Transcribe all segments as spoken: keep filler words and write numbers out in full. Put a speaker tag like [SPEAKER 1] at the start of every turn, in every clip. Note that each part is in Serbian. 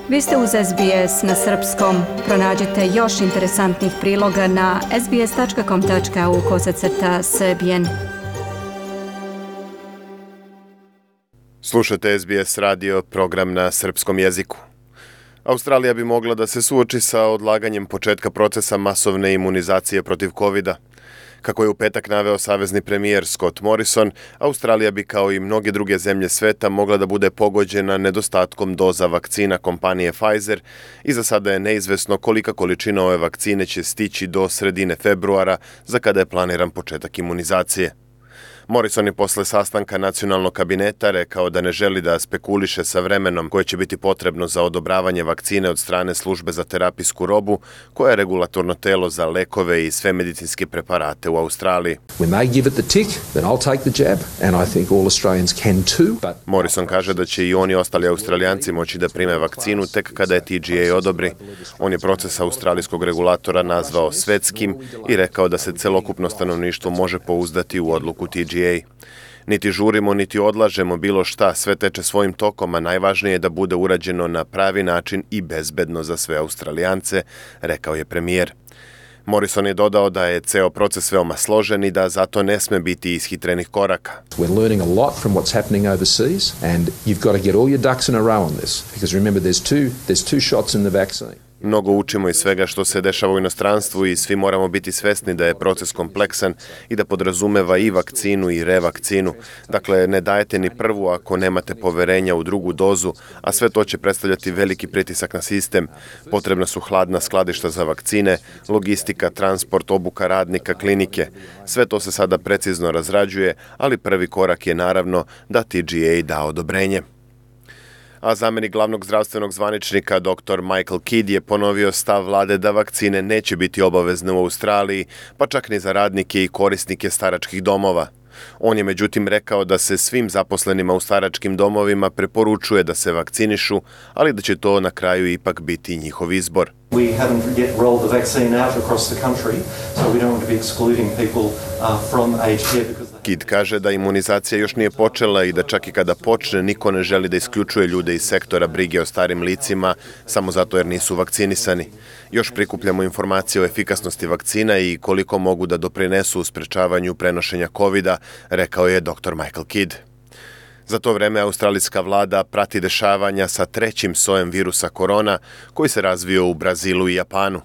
[SPEAKER 1] Vi ste uz S B S na srpskom. Pronađite još interesantnih priloga na sbs.com.au kosacrta srbijen.
[SPEAKER 2] Slušate S B S radio, program na srpskom jeziku. Australija bi mogla da se suoči sa odlaganjem početka procesa masovne imunizacije protiv kovida. Kako je u petak naveo savezni premijer Scott Morrison, Australija bi kao i mnoge druge zemlje sveta mogla da bude pogođena nedostatkom doza vakcina kompanije Pfizer i za sada je neizvesno kolika količina ove vakcine će stići do sredine februara, za kada je planiran početak imunizacije. Morrison je posle sastanka nacionalnog kabineta rekao da ne želi da spekuliše sa vremenom koje će biti potrebno za odobravanje vakcine od strane službe za terapijsku robu, koja je regulatorno telo za lekove i sve medicinske preparate u Australiji. Morrison kaže da će i oni ostali Australijanci moći da prime vakcinu tek kada je T G A odobri. On je proces australijskog regulatora nazvao svetskim i rekao da se celokupno stanovništvo može pouzdati u odluku T G A. Niti žurimo, niti odlažemo bilo šta, sve teče svojim tokom, a najvažnije je da bude urađeno na pravi način i bezbedno za sve Australijance, rekao je premijer. Morrison je dodao da je ceo proces veoma složen i da zato ne sme biti ishitrenih koraka.
[SPEAKER 3] We're learning a lot from what's happening overseas and you've got to get all your ducks in a row on this because remember there's two there's two shots in the vaccine.
[SPEAKER 2] Mnogo učimo iz svega što se dešava u inostranstvu i svi moramo biti svesni da je proces kompleksan i da podrazumeva i vakcinu i revakcinu. Dakle, ne dajete ni prvu ako nemate poverenja u drugu dozu, a sve to će predstavljati veliki pritisak na sistem. Potrebna su hladna skladišta za vakcine, logistika, transport, obuka radnika, klinike. Sve to se sada precizno razrađuje, ali prvi korak je naravno da T G A da odobrenje. A zamenik glavnog zdravstvenog zvaničnika doktor Michael Kidd je ponovio stav vlade da vakcine neće biti obavezne u Australiji, pa čak ni za radnike i korisnike staračkih domova. On je međutim rekao da se svim zaposlenima u staračkim domovima preporučuje da se vakcinišu, ali da će to na kraju ipak biti njihov izbor.
[SPEAKER 4] We haven't yet rolled the vaccine out across the country, so we don't want to be excluding people uh, from aged care because
[SPEAKER 2] Kidd kaže da imunizacija još nije počela i da čak i kada počne niko ne želi da isključuje ljude iz sektora brige o starim licima samo zato jer nisu vakcinisani. Još prikupljamo informacije o efikasnosti vakcina i koliko mogu da doprinesu u sprečavanju prenošenja kovida, rekao je doktor Michael Kidd. Za to vreme australijska vlada prati dešavanja sa trećim sojem virusa korona koji se razvio u Brazilu i Japanu.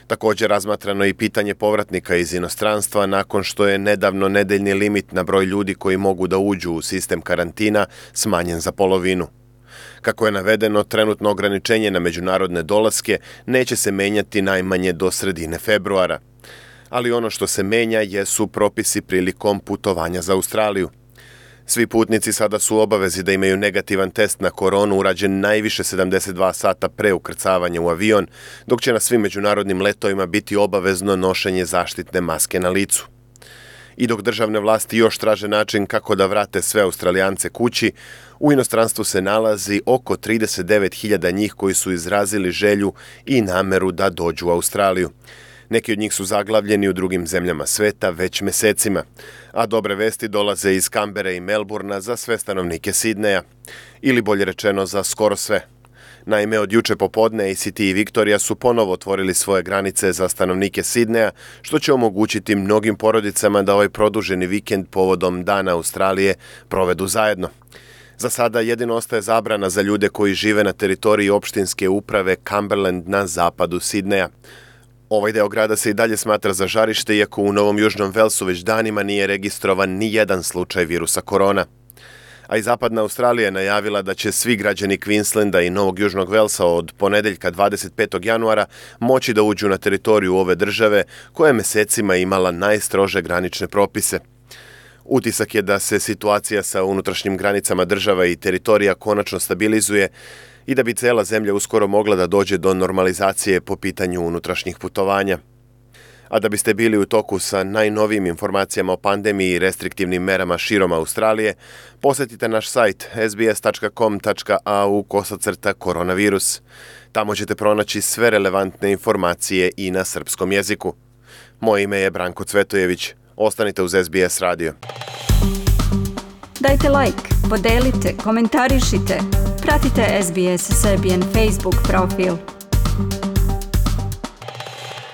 [SPEAKER 2] Također razmatrano i pitanje povratnika iz inostranstva nakon što je nedavno nedeljni limit na broj ljudi koji mogu da uđu u sistem karantina smanjen za polovinu. Kako je navedeno, trenutno ograničenje na međunarodne dolaske neće se menjati najmanje do sredine februara. Ali ono što se menja jesu propisi prilikom putovanja za Australiju. Svi putnici sada su u obavezi da imaju negativan test na koronu urađen najviše sedamdeset dva sata pre ukrcavanja u avion, dok će na svim međunarodnim letovima biti obavezno nošenje zaštitne maske na licu. I dok državne vlasti još traže način kako da vrate sve Australijance kući, u inostranstvu se nalazi oko trideset devet hiljada njih koji su izrazili želju i nameru da dođu u Australiju. Neki od njih su zaglavljeni u drugim zemljama sveta već mesecima, a dobre vesti dolaze iz Kambere i Melburna za sve stanovnike Sidneja, ili bolje rečeno za skoro sve. Naime, od juče popodne A C T i Viktorija su ponovo otvorili svoje granice za stanovnike Sidneja, što će omogućiti mnogim porodicama da ovaj produženi vikend povodom Dana Australije provedu zajedno. Za sada jedino ostaje zabrana za ljude koji žive na teritoriji opštinske uprave Cumberland na zapadu Sidneja. Ovaj deo grada se i dalje smatra za žarište, iako u Novom Južnom Velsu već danima nije registrovan ni jedan slučaj virusa korona. A i zapadna Australija je najavila da će svi građani Queenslanda i Novog Južnog Velsa od ponedeljka dvadeset petog januara moći da uđu na teritoriju ove države koja je mesecima imala najstrože granične propise. Utisak je da se situacija sa unutrašnjim granicama država i teritorija konačno stabilizuje i da bi cela zemlja uskoro mogla da dođe do normalizacije po pitanju unutrašnjih putovanja. A da biste bili u toku sa najnovijim informacijama o pandemiji i restriktivnim merama širom Australije, posetite naš sajt s b s tačka com tačka a u kosacrta koronavirus. Tamo ćete pronaći sve relevantne informacije i na srpskom jeziku. Moje ime je Branko Cvetojević. Ostanite uz S B S radio.
[SPEAKER 1] Dajte like, podelite, komentarišite. pratite S B S Serbian Facebook profil.